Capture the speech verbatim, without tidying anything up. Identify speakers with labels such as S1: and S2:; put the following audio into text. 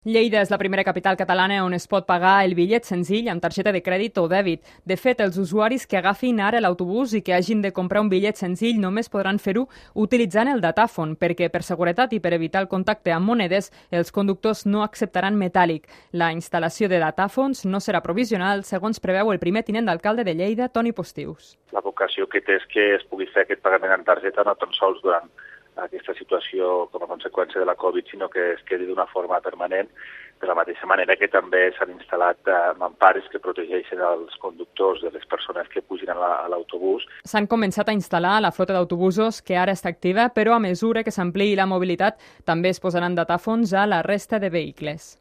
S1: Lleida és la primera capital catalana on es pot pagar el bitllet senzill amb targeta de crèdit o dèbit. De fet, els usuaris que agafin ara l'autobús i que hagin de comprar un bitllet senzill només podran fer-ho utilitzant el datàfon, perquè per seguretat i per evitar el contacte amb monedes, els conductors no acceptaran metàl·lic. La instal·lació de datàfons no serà provisional, segons preveu el primer tinent d'alcalde de Lleida, Toni Postius.
S2: La vocació que té és que es pugui fer aquest pagament en targeta no tan sols durant aquesta situació com a conseqüència de la Covid, sinó que es quedi d'una forma permanent, de la mateixa manera que també s'han instal·lat mampares que protegeixen els conductors de les persones que pugin a l'autobús.
S1: S'han començat a instal·lar la flota d'autobusos que ara està activa, però a mesura que s'ampliï la mobilitat també es posaran datàfons a la resta de vehicles.